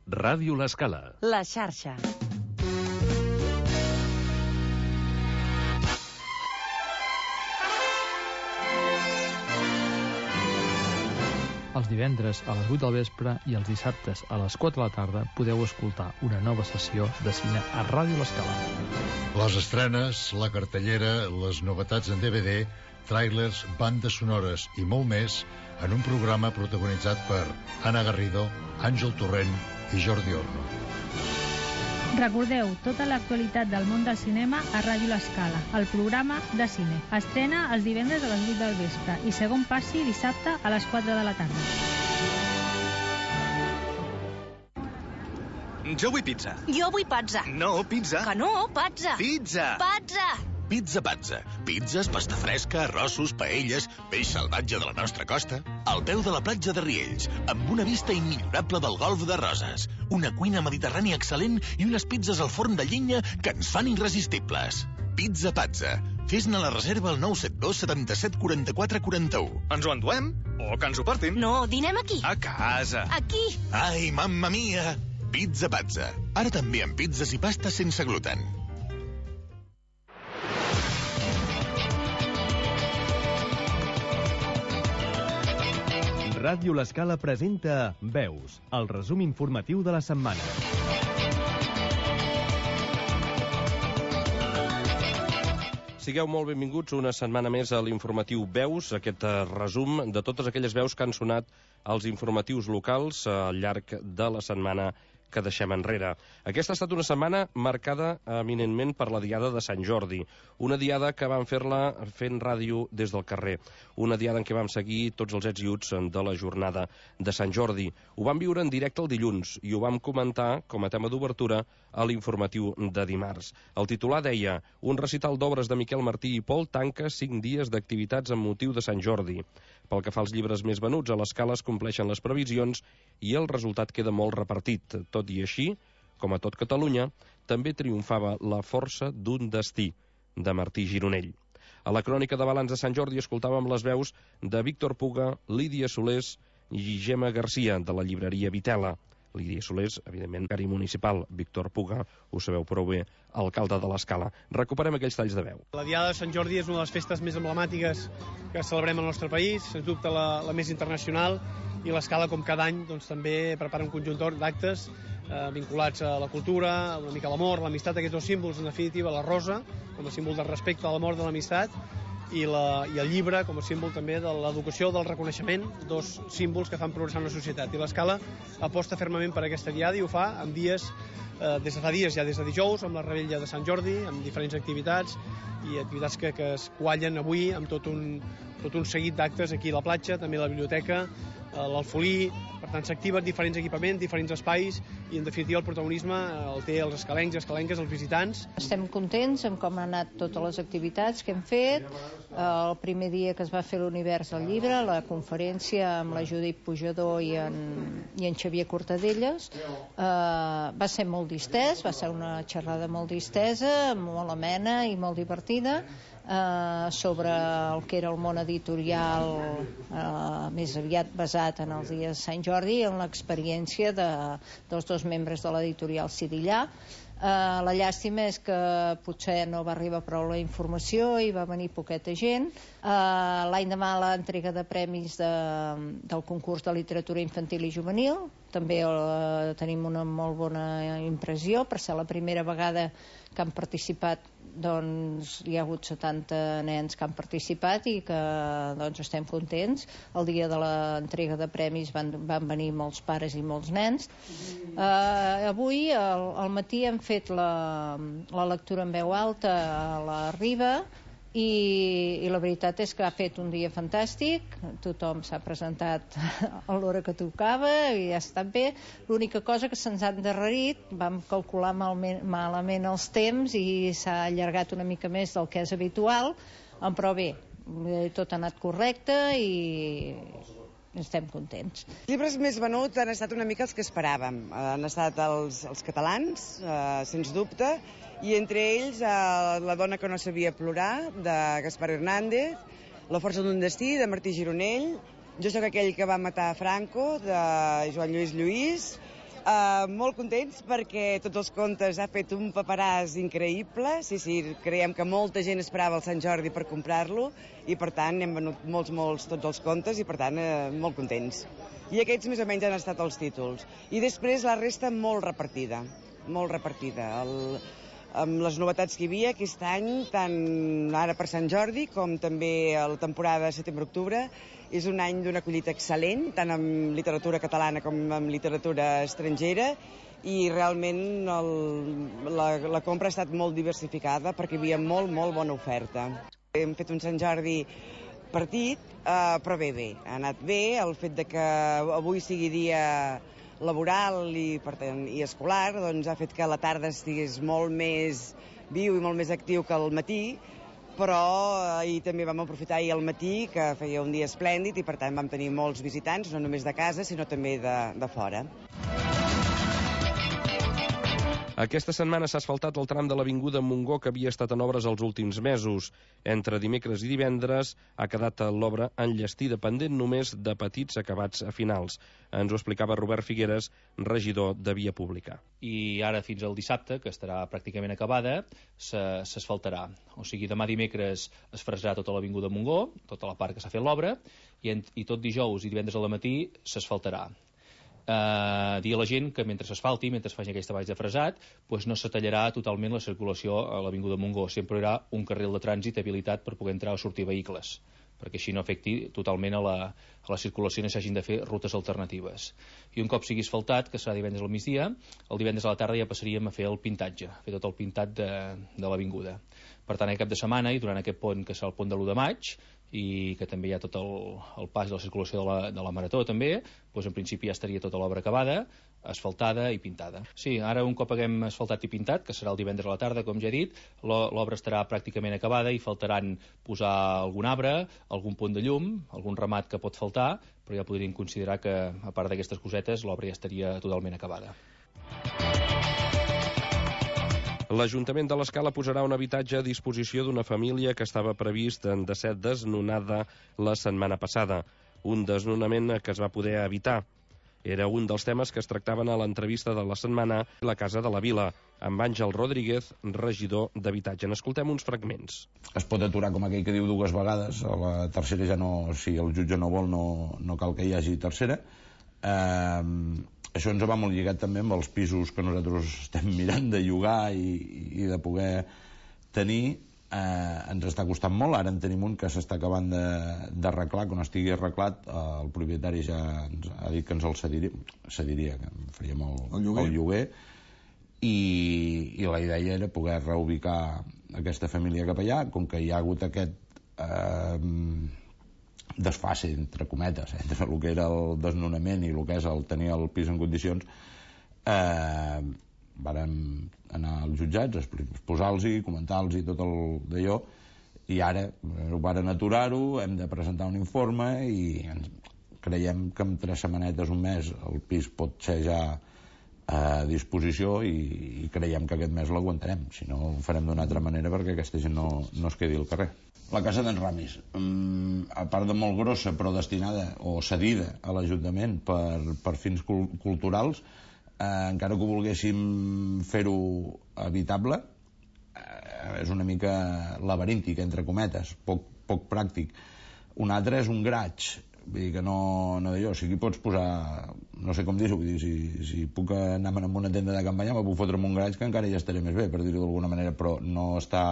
Ràdio L'Escala. La xarxa. Els divendres a les 8 del vespre i els dissabtes a les 4 de la tarda podeu escoltar una nova sessió de cine a Ràdio L'Escala. Les estrenes, la cartellera, les novetats en DVD, tràilers, bandes sonores i molt més en un programa protagonitzat per Anna Garrido, Àngel Torrent i Jordi Orno. Recordeu tota l'actualitat del món del cinema a Ràdio L'Escala, el programa de cine. Estrena els divendres a les 8 del vespre i segon passi dissabte a les 4 de la tarda. Jo vull pizza. Jo vull pazza. No, pizza. Que no, pazza. Pizza. Pazza. Pizza Pazza. Pizzas, pasta fresca, arrossos, paelles, peix salvatge de la nostra costa. Al peu de la platja de Riells, amb una vista immillorable del golf de Roses. Una cuina mediterrània excel·lent i unes pizzas al forn de llenya que ens fan irresistibles. Pizza Pazza. Fes-ne la reserva al 972 77 44 41. Ens ho enduem? O que ens ho portin? No, dinem aquí. A casa. Aquí. Ai, mamma mia! Pizza Pazza. Ara també amb pizzas i pastes sense gluten. Ràdio L'Escala presenta Veus, el resum informatiu de la setmana. Sigueu molt benvinguts una setmana més a l'informatiu Veus, aquest resum de totes aquelles veus que han sonat als informatius locals al llarg de la setmana que deixem enrere. Aquesta ha estat una setmana marcada eminentment per la diada de Sant Jordi, una diada que vam fer-la fent ràdio des del carrer, una diada en què vam seguir tots els ets i uts de la jornada de Sant Jordi. Ho vam viure en directe el dilluns i ho vam comentar com a tema d'obertura a l'informatiu de dimarts. El titular deia: un recital d'obres de Miquel Martí i Pol tanca 5 dies d'activitats amb motiu de Sant Jordi. Pel que fa als llibres més venuts, a l'Escala es compleixen les previsions i el resultat queda molt repartit. Tot i així, com a tot Catalunya, també triomfava La força d'un destí, de Martí Gironell. A la crònica de balanç de Sant Jordi escoltàvem les veus de Víctor Puga, Lídia Solés i Gemma Garcia, de la llibreria Vitela. Lídia Solés, evidentment, cari municipal. Víctor Puga, ho sabeu prou bé, alcalde de l'Escala. Recuperem aquells talls de veu. La Diada de Sant Jordi és una de les festes més emblemàtiques que celebrem al nostre país, sens dubte la més internacional, i l'Escala, com cada any, doncs, també prepara un conjunt d'actes vinculats a la cultura, una mica a l'amor, l'amistat, aquests dos símbols, en definitiva, la rosa, com a símbol del respecte, de l'amor, de l'amistat, i el llibre com a símbol també de l'educació, del reconeixement, dos símbols que fan progressar una societat. I l'Escala aposta fermament per aquesta diada i ho fa en dies, des de fa dies, ja des de dijous, amb la Revetlla de Sant Jordi, amb diferents activitats i activitats que es quallen avui amb tot un seguit d'actes aquí a la platja, també a la biblioteca, l'Alfolí. Per tant, s'activen diferents equipaments, diferents espais, i en definitiva el protagonisme el té els escalencs i escalenques, els visitants. Estem contents amb com han anat totes les activitats que hem fet. El primer dia que es va fer l'Univers del Llibre, la conferència amb la Judit Pujador i en Xavier Cortadelles, va ser molt distès, va ser una xerrada molt distesa, molt amena i molt divertida, sobre el que era el món editorial, més aviat basat en els dies de Sant Jordi, en l'experiència dels dos membres de l'editorial Sidillà. La llàstima és que potser no va arribar prou la informació i va venir poqueta gent. L'any demà l'entrega de premis del concurs de literatura infantil i juvenil, també tenim una molt bona impressió, per ser la primera vegada que han participat, doncs hi ha hagut 70 nens que han participat i que doncs estem contents. El dia de l'entrega de premis van venir molts pares i molts nens. Avui al matí hem fet la lectura en veu alta a la Riba i la veritat és que ha fet un dia fantàstic, tothom s'ha presentat a l'hora que tocava i ha estat bé. L'única cosa que se'ns ha endarrerit, vam calcular malament els temps i s'ha allargat una mica més del que és habitual, però bé, tot ha anat correcte i estem contents. Els llibres més venuts han estat una mica els que esperàvem. Han estat els catalans, sens dubte, i entre ells La dona que no sabia plorar, de Gaspar Hernández, La força d'un destí, de Martí Gironell, Jo sóc aquell que va matar Franco, de Joan Lluís Lluís, Molt contents perquè tots els contes ha fet un paperàs increïble. Sí, creiem que molta gent esperava el Sant Jordi per comprar-lo i per tant hem venut molts tots els contes i per tant molt contents. I aquests més o menys han estat els títols. I després la resta molt repartida. Amb les novetats que hi havia aquest any, tant ara per Sant Jordi com també a la temporada setembre-octubre. És un any d'una collita excel·lent, tant en literatura catalana com en literatura estrangera, i realment la compra ha estat molt diversificada perquè hi havia molt bona oferta. Hem fet un Sant Jordi partit, però bé, ha anat bé. El fet de que avui sigui dia laboral i escolar doncs ha fet que la tarda estigués molt més viu i molt més actiu que al matí, però ahir també vam aprofitar al matí, que feia un dia esplèndid, i per tant vam tenir molts visitants, no només de casa, sinó també de fora. Aquesta setmana s'ha asfaltat el tram de l'Avinguda Montgó, que havia estat en obres els últims mesos. Entre dimecres i divendres ha quedat l'obra enllestida, pendent només de petits acabats a finals. Ens ho explicava Robert Figueres, regidor de Via Pública. I ara fins al dissabte, que estarà pràcticament acabada, s'asfaltarà. O sigui, demà dimecres es fresarà tota l'Avinguda Montgó, tota la part que s'ha fet l'obra, i tot dijous i divendres al matí s'asfaltarà. Dir a la gent que mentre s'asfalti, mentre es faci aquest treball de fresat, doncs no s'atallarà totalment la circulació a l'Avinguda Montgó. Sempre hi haurà un carril de trànsit habilitat per poder entrar o sortir vehicles, perquè així no afecti totalment a la circulació i no s'hagin de fer rutes alternatives. I un cop sigui asfaltat, que serà divendres al migdia, el divendres a la tarda ja passaríem a fer el pintatge, a fer tot el pintat de l'avinguda. Per tant, aquest cap de setmana i durant aquest pont, que serà el pont de l'1 de maig, i que també hi ha tot el pas de la circulació de la Marató també, doncs en principi ja estaria tota l'obra acabada, asfaltada i pintada. Sí, ara un cop haguem asfaltat i pintat, que serà el divendres a la tarda, com ja he dit, l'obra estarà pràcticament acabada i faltaran posar algun arbre, algun punt de llum, algun ramat que pot faltar, però ja podríem considerar que, a part d'aquestes cosetes, l'obra ja estaria totalment acabada. L'Ajuntament de l'Escala posarà un habitatge a disposició d'una família que estava previst de ser desnonada la setmana passada. Un desnonament que es va poder evitar. Era un dels temes que es tractaven a l'entrevista de la setmana a la Casa de la Vila, amb Àngel Rodríguez, regidor d'Habitatge. N'escoltem uns fragments. Es pot aturar, com aquell que diu, 2 vegades. A la tercera ja no, si el jutge no vol, no cal que hi hagi tercera. Això ens va molt lligat també amb els pisos que nosaltres estem mirant de llogar i de poder tenir. Ens està costant molt. Ara en tenim un que s'està acabant d'arreglar. Quan estigui arreglat, el propietari ja ens ha dit que ens el cediria, que en faríem el lloguer. I la idea era poder reubicar aquesta família cap allà. Com que hi ha hagut aquest desfase, entre cometes, entre el que era el desnonament i el que és el tenir el pis en condicions, vàrem anar als jutjats, exposar-los, comentar-los tot d'allò, i ara ho varen aturar-ho, hem de presentar un informe i creiem que en 3 setmanetes, un mes, el pis pot ser ja a disposició i creiem que aquest mes l'aguantarem, si no ho farem d'una altra manera perquè aquesta gent no es quedi al carrer. La casa d'en Ramis, a part de molt grossa però destinada o cedida a l'Ajuntament per fins culturals, encara que ho volguéssim fer-ho habitable, és una mica laberíntic, entre cometes, poc pràctic. Un altre és un garatge, vull dir que no d'allò, si aquí pots posar, no sé com dir-ho, vull dir, si puc anar a una tenda de campanya me puc fotre en un garatge que encara ja estaré més bé, per dir-ho d'alguna manera, però no està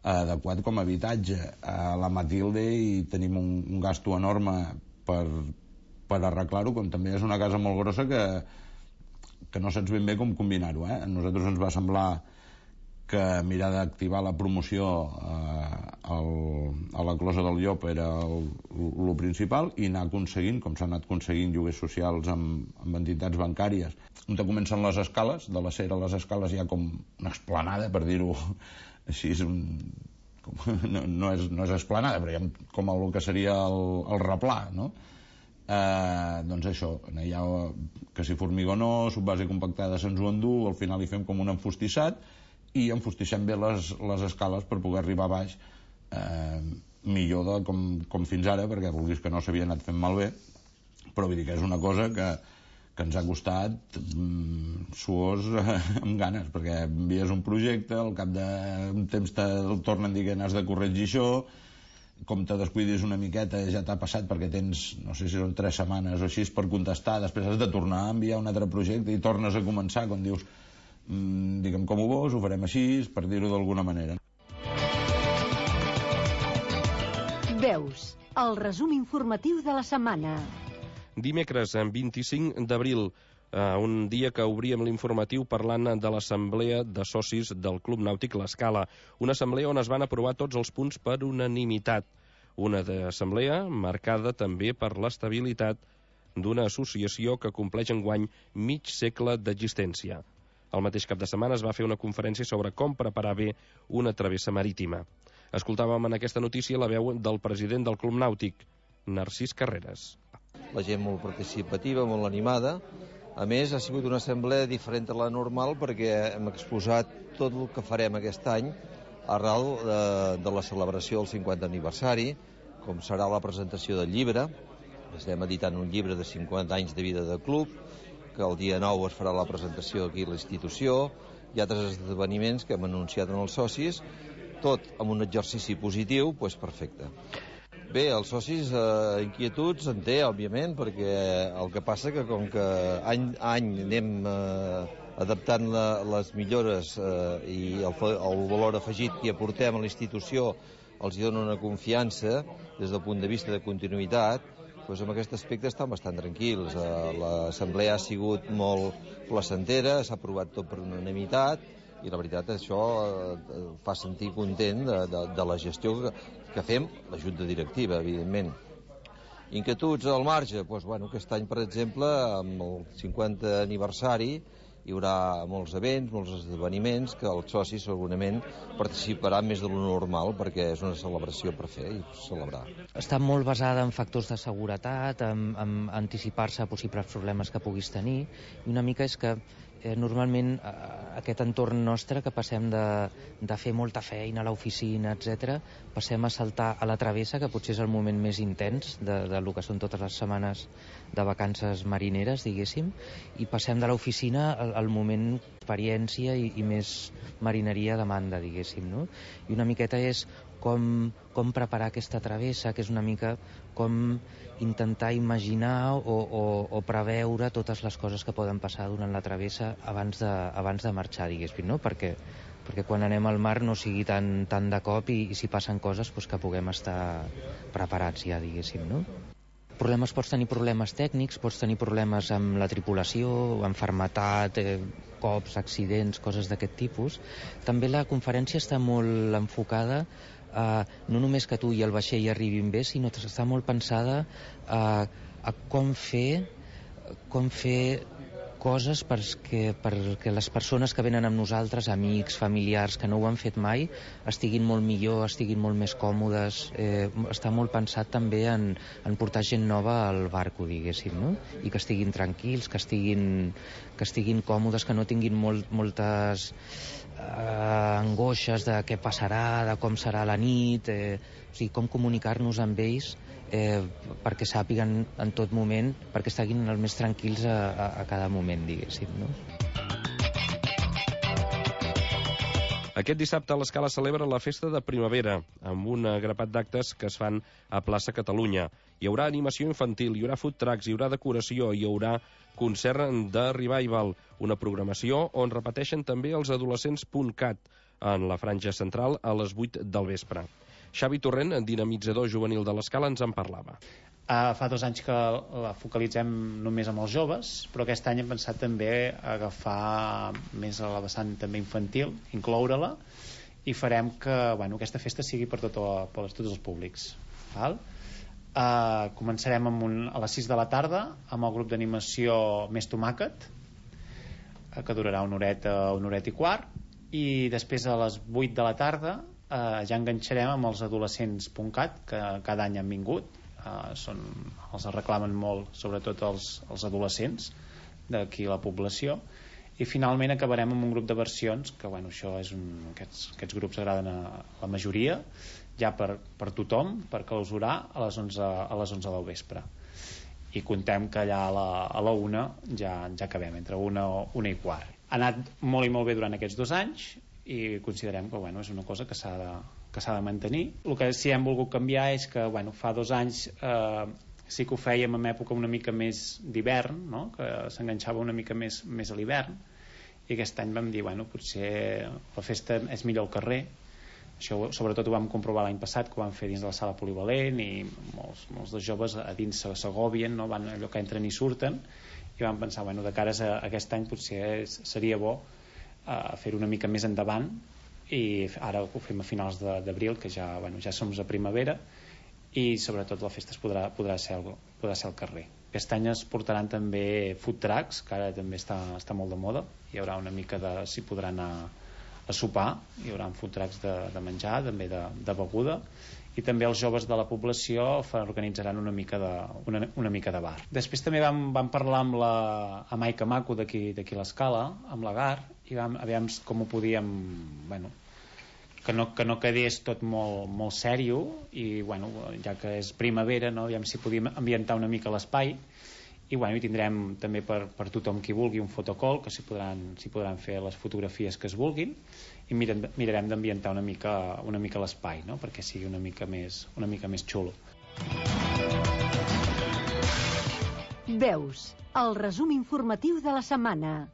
adequat com a habitatge. A la Matilde i tenim un gasto enorme per arreglar-ho, com també és una casa molt grossa que no saps ben bé com combinar-ho. A nosaltres ens va semblar que mirar d'activar la promoció a la Closa del Llop era el principal, i anar aconseguint, com s'han anat aconseguint lloguers socials amb entitats bancàries. On comencen les escales, de la Cera a les escales hi ha com una esplanada, per dir-ho així, no és esplanada, però hi ha com el que seria el replà, no? Doncs això, hi ha que si formigó subbase compactada se'ns ho endú, al final hi fem com un enfostissat i enfostissem bé les escales per poder arribar a baix millor com fins ara, perquè vulguis que no s'havia anat fent malbé, però vull dir que és una cosa que ens ha costat suors amb ganes, perquè envies un projecte, al cap d'un temps te'l tornen a dir que n'has de corregir això, com te descuidis una miqueta ja t'ha passat perquè tens, no sé si són 3 setmanes o així per contestar, després has de tornar a enviar un altre projecte i tornes a començar quan dius diguem com ho vols, ho farem així, per dir-ho d'alguna manera. Veus, el resum informatiu de la setmana. Dimecres, 25 d'abril, un dia que obríem l'informatiu parlant de l'assemblea de socis del Club Nàutic L'Escala, una assemblea on es van aprovar tots els punts per unanimitat, una assemblea marcada també per l'estabilitat d'una associació que compleix enguany mig segle d'existència. El mateix cap de setmana es va fer una conferència sobre com preparar bé una travessa marítima. Escoltàvem en aquesta notícia la veu del president del Club Nàutic, Narcís Carreras. La gent molt participativa, molt animada. A més, ha sigut una assemblea diferent a la normal perquè hem exposat tot el que farem aquest any arrel de la celebració del 50 aniversari, com serà la presentació del llibre. Estem editant un llibre de 50 anys de vida de club, que el dia 9 es farà la presentació aquí a la institució, i altres esdeveniments que hem anunciat en els socis, tot amb un exercici positiu, doncs perfecte. Bé, els socis inquietuds en té, òbviament, perquè el que passa que com que any a any anem adaptant les millores i el valor afegit que aportem a la institució els dona una confiança des del punt de vista de continuïtat, doncs en aquest aspecte estan bastant tranquils. L'assemblea ha sigut molt placentera, s'ha aprovat tot per unanimitat, i la veritat això fa sentir content de la gestió que fem, la junta directiva, evidentment. Inquietuds al marge? Doncs, bueno, aquest any, per exemple, amb el 50 aniversari, hi haurà molts events, molts esdeveniments, que els socis segurament participaran més de lo normal, perquè és una celebració per fer i celebrar. Està molt basada en factors de seguretat, en anticipar-se a possibles problemes que puguis tenir, i una mica és que normalment aquest entorn nostre que passem de fer molta feina a l'oficina, etc., passem a saltar a la travessa, que potser és el moment més intens del que són totes les setmanes de vacances marineres, diguéssim, i passem de l'oficina al moment experiència i més marineria demanda, diguéssim, no? I una miqueta és com preparar aquesta travessa, que és una mica com intentar imaginar o preveure totes les coses que poden passar durant la travessa abans de marxar, diguéssim, no? Perquè quan anem al mar no sigui tan de cop i si passen coses doncs que puguem estar preparats ja, diguéssim, no? Pots tenir problemes tècnics, pots tenir problemes amb la tripulació, amb fermetat, cops, accidents, coses d'aquest tipus. També la conferència està molt enfocada no només que tu i el vaixell arribin bé, sinó que està molt pensada a com fer coses perquè les persones que venen amb nosaltres, amics, familiars, que no ho han fet mai, estiguin molt millor, estiguin molt més còmodes. Està molt pensat també en portar gent nova al barco, diguéssim, no? I que estiguin tranquils, que estiguin còmodes, que no tinguin moltes angoixes de què passarà, de com serà la nit, o sigui, com comunicar-nos amb ells perquè sàpiguen en tot moment, perquè estiguin el més tranquils a cada moment, diguéssim, no? Aquest dissabte l'Escala celebra la festa de primavera, amb un grapat d'actes que es fan a Plaça Catalunya. Hi haurà animació infantil, hi haurà food trucks, hi haurà decoració, hi haurà concert de revival, una programació on repeteixen també els adolescents.cat en la franja central a les 8 del vespre. Xavi Torrent, dinamitzador juvenil de l'Escala, ens en parlava. Fa 2 anys que la focalitzem només amb els joves, però aquest any hem pensat també agafar més a la vessant també infantil, incloure-la, i farem que aquesta festa sigui per tots els públics. Val? Començarem a les 6 de la tarda amb el grup d'animació Més Tomàquet, que durarà una horeta i quart, i després a les 8 de la tarda ja enganxarem amb els adolescents.cat, que cada any han vingut, els reclamen molt, sobretot els adolescents d'aquí la població, i finalment acabarem amb un grup de versions que això és aquests grups agraden a la majoria, ja per tothom, per clausurar a les 11 del vespre. i contem que allà a la 1 ja acabem, entre 1 i quart. Ha anat molt i molt bé durant aquests 2 anys i considerem que és una cosa que s'ha de mantenir. El que sí hem volgut canviar és que fa 2 anys sí que ho fèiem en època una mica més d'hivern, no? Que s'enganxava una mica més a l'hivern, i aquest any vam dir potser la festa és millor al carrer. Això sobretot ho vam comprovar l'any passat, que ho vam fer dins de la sala polivalent, i molts dels joves a dins s'agobien, no? Van allò que entren i surten, i vam pensar de cares a aquest any potser seria bo fer-ho una mica més endavant, i ara ho fem a finals d'abril, que ja som a primavera, i sobretot la festa podrà ser al carrer. Aquest any es portaran també food trucks, que ara també està molt de moda. Hi haurà una mica s'hi podrà anar a sopar, hi haurà food trucks de menjar, també de beguda, i també els joves de la població organitzaran una mica de bar. Després també vam parlar amb Maica Maco d'aquí l'Escala, amb la GAR, i vam veure com ho podíem que no quedés tot molt sèrio, i ja que és primavera, no? Aviam si podíem ambientar una mica l'espai, i tindrem també per tothom qui vulgui un fotocall, que s'hi podran fer les fotografies que es vulguin, i mirarem d'ambientar una mica l'espai, no? Perquè sigui una mica més xulo. Veus, el resum informatiu de la setmana.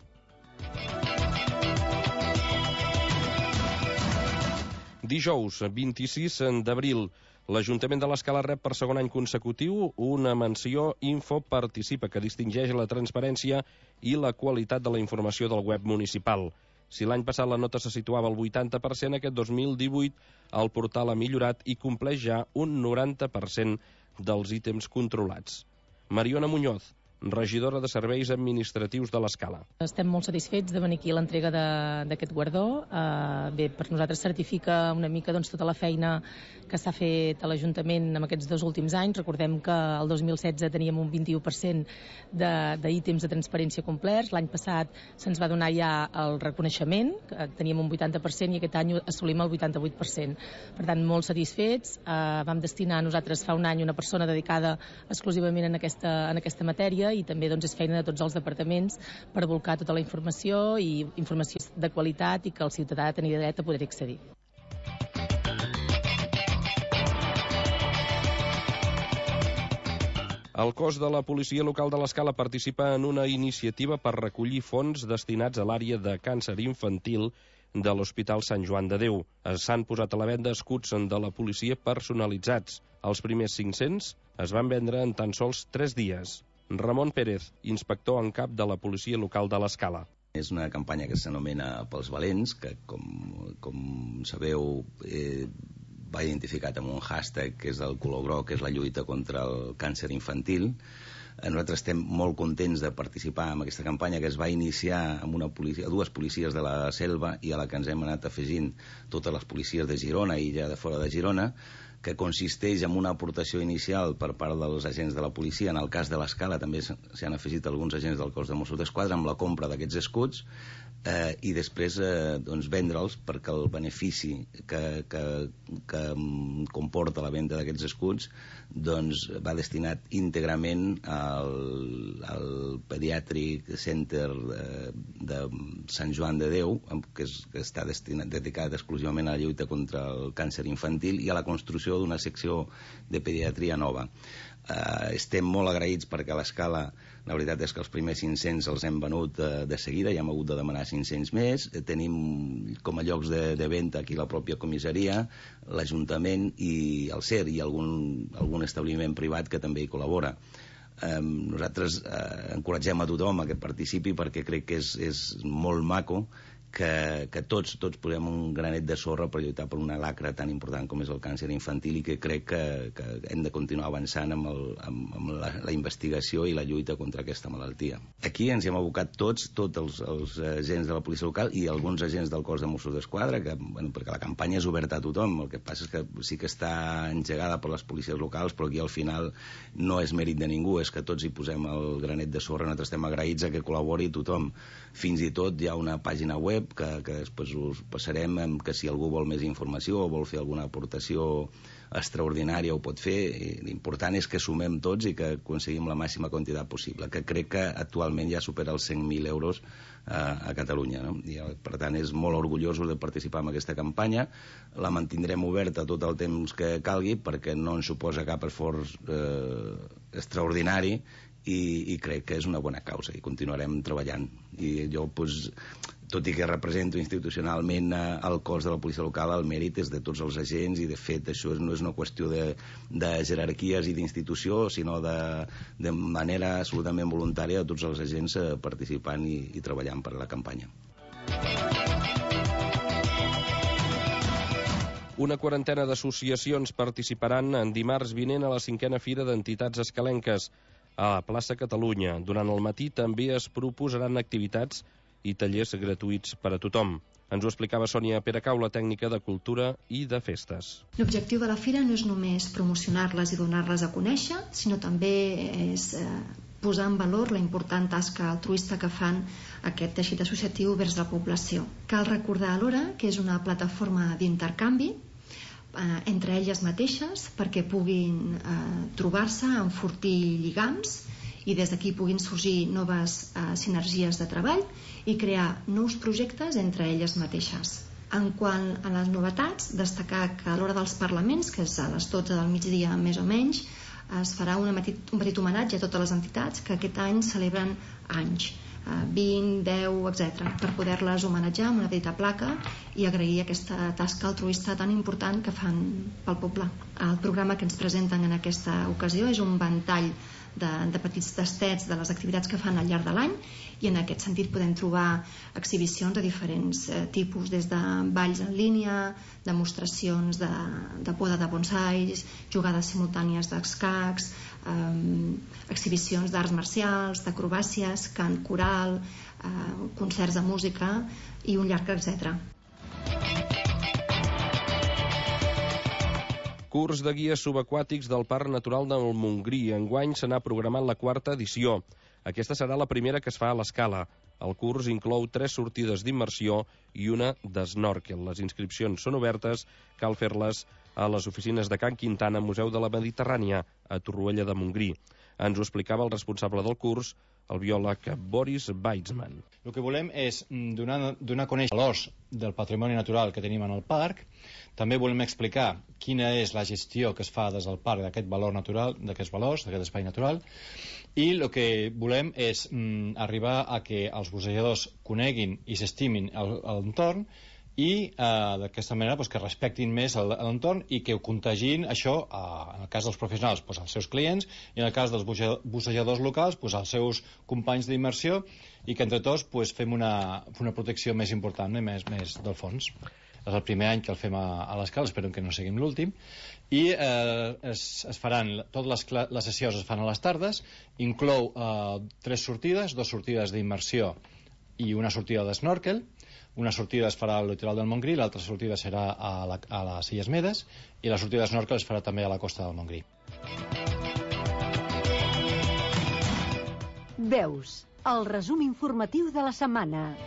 Dijous, 26 d'abril, l'Ajuntament de l'Escala rep per 2è any consecutiu una menció Info Participa, que distingeix la transparència i la qualitat de la informació del web municipal. Si l'any passat la nota se situava al 80%, aquest 2018 el portal ha millorat i compleix ja un 90% dels ítems controlats. Mariona Muñoz, regidora de Serveis Administratius de l'Escala. Estem molt satisfets de venir aquí a l'entrega d'aquest guardó. Bé, per nosaltres certifica una mica tota la feina que s'ha fet a l'Ajuntament en aquests 2 últims anys. Recordem que el 2016 teníem un 21% d'ítems de transparència complerts. L'any passat se'ns va donar ja el reconeixement, que teníem un 80%, i aquest any assolim el 88%. Per tant, molt satisfets. Vam destinar nosaltres fa un any una persona dedicada exclusivament en aquesta matèria, i també és feina de tots els departaments per volcar tota la informació, i informació de qualitat, i que el ciutadà ha de tenir dret a poder accedir. El cos de la policia local de l'Escala participa en una iniciativa per recollir fons destinats a l'àrea de càncer infantil de l'Hospital Sant Joan de Déu. S'han posat a la venda escuts de la policia personalitzats. Els primers 500 es van vendre en tan sols 3 dies. Ramon Pérez, inspector en cap de la policia local de l'Escala. És una campanya que s'anomena Pels Valents, que, com sabeu, va identificat amb un hashtag que és el color groc, que és la lluita contra el càncer infantil. Nosaltres estem molt contents de participar en aquesta campanya, que es va iniciar amb dues policies de la Selva, i a la que ens hem anat afegint totes les policies de Girona i ja de fora de Girona, que consisteix en una aportació inicial per part dels agents de la policia. En el cas de l'Escala també s'hi han afegit alguns agents del cos de Mossos d'Esquadra amb la compra d'aquests escuts, i després vendre'ls, perquè el benefici que comporta la venda d'aquests escuts va destinat íntegrament al Pediatric Center de Sant Joan de Déu, que està dedicat exclusivament a la lluita contra el càncer infantil i a la construcció d'una secció de pediatria nova. Estem molt agraïts perquè a l'Escala la veritat és que els primers 500 els hem venut de seguida, ja hem hagut de demanar 500 més. Tenim com a llocs de venda aquí la pròpia comissaria, l'Ajuntament i el CER, i algun establiment privat que també hi col·labora. Nosaltres encoratgem a tothom a que participi, perquè crec que és molt maco que tots posem un granet de sorra per lluitar per una lacra tan important com és el càncer infantil, i que crec que hem de continuar avançant amb la investigació i la lluita contra aquesta malaltia. Aquí ens hem abocat tots els agents de la policia local i alguns agents del cos de Mossos d'Esquadra, perquè la campanya és oberta a tothom. El que passa és que sí que està engegada per les policies locals, però aquí al final no és mèrit de ningú, és que tots hi posem el granet de sorra. Nosaltres estem agraïts a que col·labori tothom. Fins i tot hi ha una pàgina web que després us passarem, que si algú vol més informació o vol fer alguna aportació extraordinària ho pot fer, i l'important és que sumem tots i que aconseguim la màxima quantitat possible, que crec que actualment ja supera els 100.000 euros a Catalunya, no? I, per tant, és molt orgullosos de participar en aquesta campanya. La mantindrem oberta tot el temps que calgui perquè no ens suposa cap esforç extraordinari i crec que és una bona causa i continuarem treballant. I jo, tot i que represento institucionalment el cos de la policia local, el mèrit és de tots els agents i, de fet, això no és una qüestió de jerarquies i d'institució, sinó de manera absolutament voluntària de tots els agents participant i treballant per la campanya. Una quarantena d'associacions participaran en dimarts vinent a la 5a Fira d'Entitats Escalenques a la plaça Catalunya. Durant el matí també es proposaran activitats i tallers gratuïts per a tothom. Ens ho explicava Sònia Peracau, la tècnica de Cultura i de Festes. L'objectiu de la fira no és només promocionar-les i donar-les a conèixer, sinó també és posar en valor la important tasca altruista que fan aquest teixit associatiu vers la població. Cal recordar alhora que és una plataforma d'intercanvi entre elles mateixes perquè puguin trobar-se, enfortir lligams i des d'aquí puguin sorgir noves sinergies de treball i crear nous projectes entre elles mateixes. En quant a les novetats, destacar que a l'hora dels parlaments, que és a les 12 del migdia més o menys, es farà un petit homenatge a totes les entitats que aquest any celebren anys, 20, 10, etc., per poder-les homenatjar amb una petita placa i agrair aquesta tasca altruista tan important que fan pel poble. El programa que ens presenten en aquesta ocasió és un ventall de petits tastets de les activitats que fan al llarg de l'any i en aquest sentit podem trobar exhibicions de diferents tipus, des de balls en línia, demostracions de poda de bonsais, jugades simultànies d'escacs, exhibicions d'arts marcials, d'acrobàcies, cant coral, concerts de música i un llarg etcètera. Curs de guies subaquàtics del Parc Natural del Montgrí. Enguany se n'ha programat la 4a edició. Aquesta serà la primera que es fa a l'Escala. El curs inclou 3 sortides d'immersió i una d'snorkel. Les inscripcions són obertes, cal fer-les a les oficines de Can Quintana, Museu de la Mediterrània, a Torroella de Montgrí. Ens ho explicava el responsable del curs, el biòleg Boris Weitzman. El que volem és donar a conèixer l'os del patrimoni natural que tenim en el parc. També volem explicar quina és la gestió que es fa des del parc d'aquest valor natural, d'aquests valors, d'aquest espai natural, i el que volem és arribar a que els bussejadors coneguin i s'estimin l'entorn i d'aquesta manera que respectin més l'entorn i que ho contagin això, en el cas dels professionals, als seus clients, i en el cas dels bussejadors locals, als seus companys d'immersió, i que entre tots fem una protecció més important i més del fons. És el primer any que el fem a l'Escala, esperem que no seguim l'últim, i es faran, totes les sessions es fan a les tardes, inclou 3 sortides, 2 sortides d'immersió i una sortida d'snorkel. Una sortida es farà al litoral del Montgrí, l'altra sortida serà a les Illes Medes i la sortida d'snorkel es farà també a la costa del Montgrí. Veus, el resum informatiu de la setmana.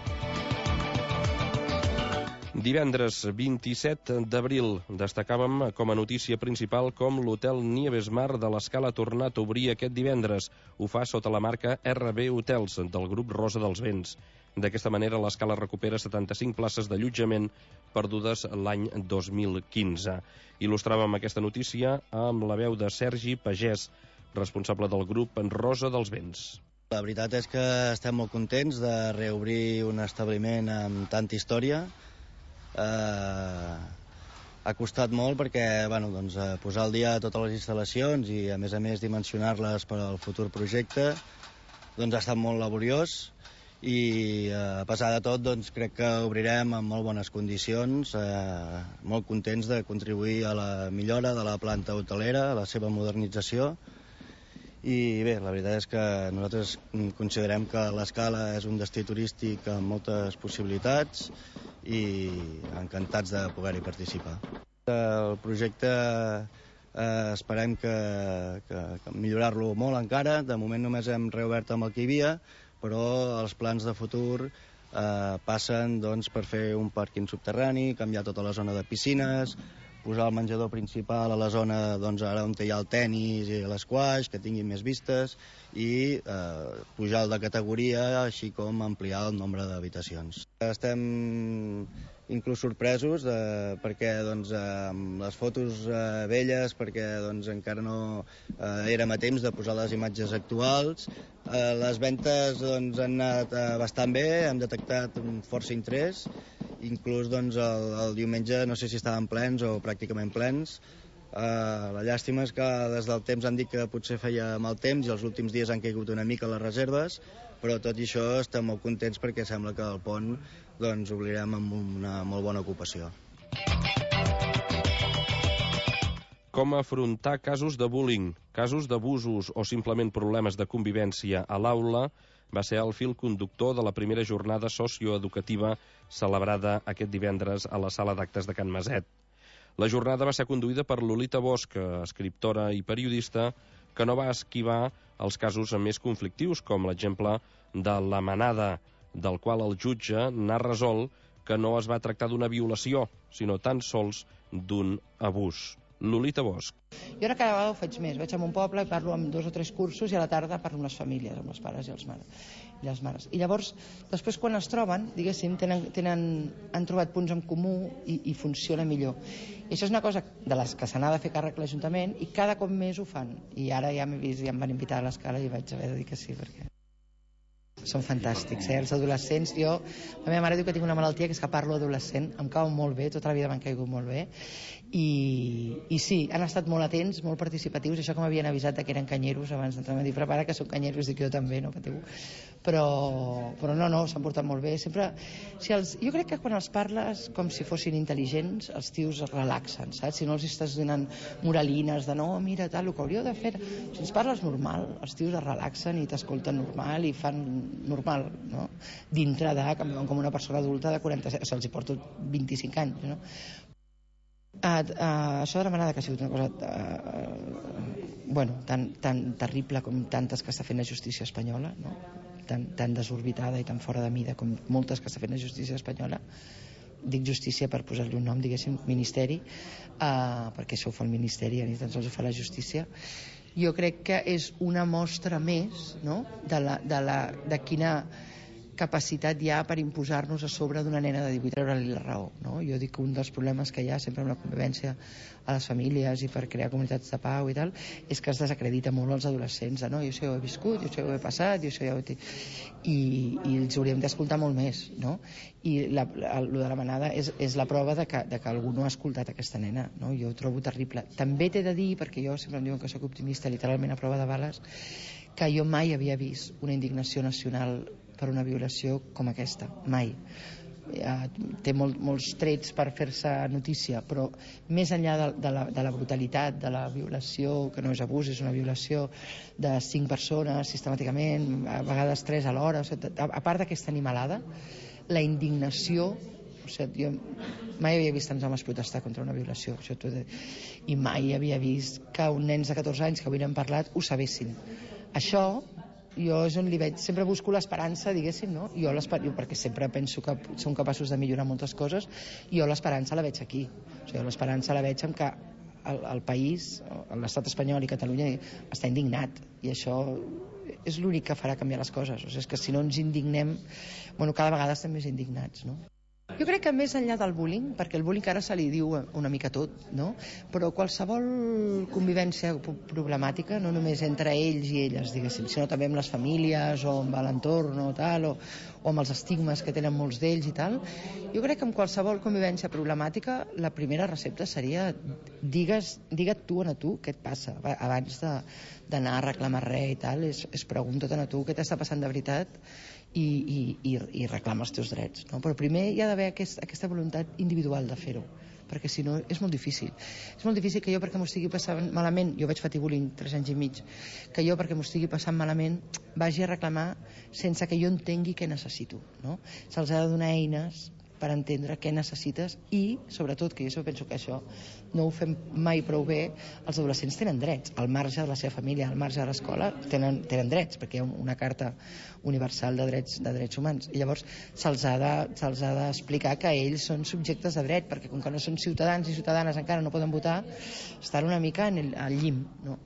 Divendres 27 d'abril destacàvem com a notícia principal com l'hotel Nieves Mar de l'Escala ha tornat a obrir aquest divendres. Ho fa sota la marca RB Hotels del grup Rosa dels Vents. D'aquesta manera l'Escala recupera 75 places d'allotjament perdudes l'any 2015. Il·lustràvem aquesta notícia amb la veu de Sergi Pagès, responsable del grup Rosa dels Vents. La veritat és que estem molt contents de reobrir un establiment amb tanta història. Ha costat molt perquè posar al dia totes les instal·lacions i a més dimensionar-les per al futur projecte ha estat molt laboriós i a pesar de tot crec que obrirem en molt bones condicions, molt contents de contribuir a la millora de la planta hotelera, a la seva modernització. I bé, la veritat és que nosaltres considerem que l'Escala és un destí turístic amb moltes possibilitats i encantats de poder-hi participar. El projecte esperem que millorar-lo molt encara. De moment només hem reobert amb el que hi havia, però els plans de futur passen per fer un pàrquing subterrani, canviar tota la zona de piscines, posar el menjador principal a la zona ara on hi ha el tennis i l'esquaix, que tinguin més vistes, i pujar el de categoria, així com ampliar el nombre d'habitacions. Estem inclús sorpresos perquè amb les fotos velles, perquè encara no érem a temps de posar les imatges actuals. Les ventes han anat bastant bé, hem detectat força interès, inclús el diumenge no sé si estaven plens o pràcticament plens. La llàstima és que des del temps han dit que potser feia mal temps i els últims dies han caigut una mica les reserves, però tot i això estem molt contents perquè sembla que el pont obrirem amb una molt bona ocupació. Com afrontar casos de bullying, casos d'abusos o simplement problemes de convivència a l'aula va ser el fil conductor de la primera jornada socioeducativa celebrada aquest divendres a la sala d'actes de Can Maset. La jornada va ser conduïda per Lolita Bosch, escriptora i periodista, que no va esquivar els casos més conflictius, com l'exemple de la manada, del qual el jutge n'ha resolt que no es va tractar d'una violació, sinó tan sols d'un abús. Lolita Bosch. Jo ara cada vegada ho faig més. Vaig a un poble i parlo amb 2 o 3 cursos i a la tarda parlo amb les famílies, amb els pares i les mares. I llavors, després quan es troben, diguéssim, han trobat punts en comú i funciona millor. I això és una cosa de les que se n'ha de fer càrrec l'Ajuntament i cada cop més ho fan. I ara ja m'he vist, ja em van invitar a l'escala i vaig haver de dir que sí, perquè són fantàstics, els adolescents. La meva mare diu que tinc una malaltia que és que parlo adolescent, em cau molt bé, tota la vida m'han caigut molt bé, i sí, han estat molt atents, molt participatius, això que m'havien avisat que eren canyeros abans d'entrar, m'han dit, prepara que són canyeros, dic jo també, no patiu, però no, s'han portat molt bé. Sempre, jo crec que quan els parles com si fossin intel·ligents, els tios es relaxen, saps? Si no els estàs donant moralines de no, mira, tal, el que hauríeu de fer, si ens parles normal, els tios es relaxen i t'escolten normal i fan normal, no? Dintre de que em veuen com una persona adulta de 47, se'ls hi porto 25 anys, no? Això de la manada que ha sigut una cosa tan terrible com tantes que està fent la justícia espanyola, no? Tan desorbitada i tan fora de mida com moltes que està fent la justícia espanyola. Dic justícia per posar-li un nom, diguéssim, ministeri, perquè això ho fa el ministeri, ni tan sols ho fa la justícia. Jo crec que és una mostra més, no?, de quina capacitat hi ha per imposar-nos a sobre d'una nena de 18 i treure-li la raó, no? Jo dic que un dels problemes que hi ha sempre amb la convivència a les famílies i per crear comunitats de pau i tal, és que es desacredita molt els adolescents, no? Jo això ja ho he viscut, jo això ja ho he passat, jo això ja ho he... I els hauríem d'escoltar molt més, no? I el de la manada és la prova de que algú no ha escoltat aquesta nena, no? Jo ho trobo terrible. També t'he de dir, perquè jo sempre em diuen que soc optimista, literalment a prova de bales, que jo mai havia vist una indignació nacional per una violació com aquesta, mai. Té molts trets per fer-se notícia, però més enllà de la brutalitat de la violació, que no és abús, és una violació de 5 persones sistemàticament, a vegades 3 alhora, a part d'aquesta animalada, la indignació, jo mai havia vist tants homes protestar contra una violació, i mai havia vist que uns nens de 14 anys que avui n'hem parlat ho sabessin. Això jo és on li veig, sempre busco l'esperança, diguéssim, no? Jo perquè sempre penso que som capaços de millorar moltes coses, jo l'esperança la veig aquí. L'esperança la veig en que el país, l'estat espanyol i Catalunya està indignat, i això és l'únic que farà canviar les coses. És que si no ens indignem, cada vegada estem més indignats, no? Jo crec que més enllà del bullying, perquè el bullying ara se li diu una mica tot, no? Però qualsevol convivència problemàtica, no només entre ells i elles, diguéssim, sinó també amb les famílies o amb l'entorn o tal, o amb els estigmes que tenen molts d'ells i tal, jo crec que amb qualsevol convivència problemàtica la primera recepta seria digue't tu a tu què et passa abans d'anar a reclamar res i tal, és pregunta't a tu què t'està passant de veritat i reclama els teus drets, no? Però primer hi ha d'haver aquesta voluntat individual de fer-ho, perquè si no és molt difícil. És molt difícil que jo, perquè m'ho estigui passant malament, jo vaig patir bullying 3 anys i mig, que jo, perquè m'ho estigui passant malament, vagi a reclamar sense que jo entengui què necessito, no? Se'ls ha de donar eines per entendre què necessites i, sobretot, que jo penso que això no ho fem mai prou bé, els adolescents tenen drets, al marge de la seva família, al marge de l'escola, tenen drets, perquè hi ha una carta universal de drets humans, i llavors se'ls ha d'explicar que ells són subjectes de dret, perquè com que no són ciutadans i ciutadanes encara no poden votar, estan una mica al llim, no?